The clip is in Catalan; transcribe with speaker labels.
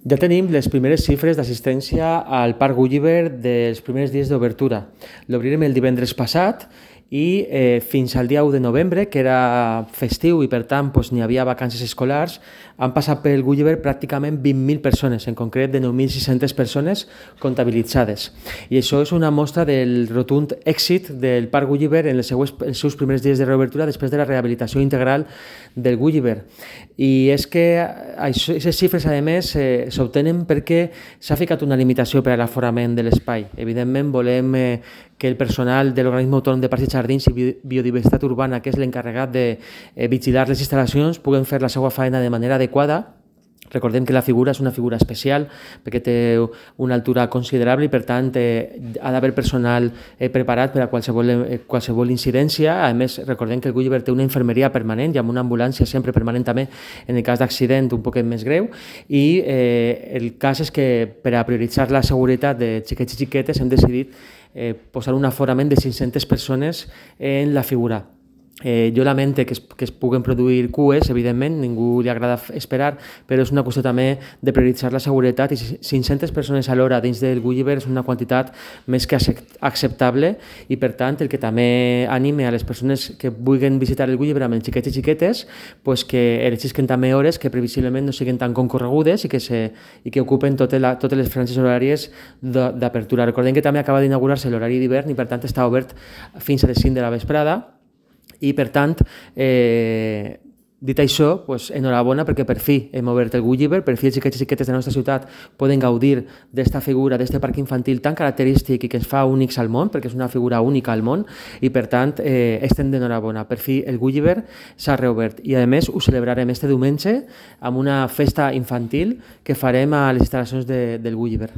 Speaker 1: Ja tenim les primeres xifres d'assistència al Parc Gulliver dels primers dies d'obertura. L'obrirem el divendres passat i fins al dia 1 de novembre, que era festiu i per tant n'hi havia vacances escolars, han passat pel Gulliver pràcticament 20.000 persones, en concret de 9.600 persones comptabilitzades. I això és una mostra del rotund èxit del Parc Gulliver en els seus primers dies de reobertura després de la rehabilitació integral del Gulliver. I és que aquestes xifres, a més, s'obtenen perquè s'ha ficat una limitació per a l'aforament de l'espai. Evidentment, volem que el personal de l'Organisme Autònom de Parcs i Jardins i Biodiversitat Urbana, que és l'encarregat de vigilar les instal·lacions, puguen fer la seva feina de manera adequada. Recordem que la figura és una figura especial perquè té una altura considerable i, per tant, ha d'haver personal preparat per a qualsevol incidència. A més, recordem que el Gulliver té una infermeria permanent i amb una ambulància sempre permanent també en el cas d'accident un poquet més greu. I el cas és que per a prioritzar la seguretat de xiquets i xiquetes hem decidit posar un aforament de 500 persones en la figura. Jo lamento que es puguen produir cues, evidentment, ningú li agrada esperar, però és una qüestió també de prioritzar la seguretat i 500 persones a l'hora dins del Gulliver és una quantitat més que acceptable i, per tant, el que també anime a les persones que vulguin visitar el Gulliver amb els xiquets i xiquetes que elegisquen també hores que previsiblement no siguin tan concorregudes i que ocupen totes les franges horàries d'apertura. Recordem que també acaba d'inaugurar-se l'horari d'hivern i, per tant, està obert fins a les 5 de la vesprada. I, per tant, dit això, enhorabona perquè per fi hem obert el Gulliver, per fi els xiquets i xiquetes de la nostra ciutat poden gaudir d'esta figura, d'este parc infantil tan característic i que ens fa únics al món, perquè és una figura única al món i, per tant, estem d'enhorabona. Per fi el Gulliver s'ha reobert i, a més, ho celebrarem este diumenge amb una festa infantil que farem a les instal·lacions del Gulliver.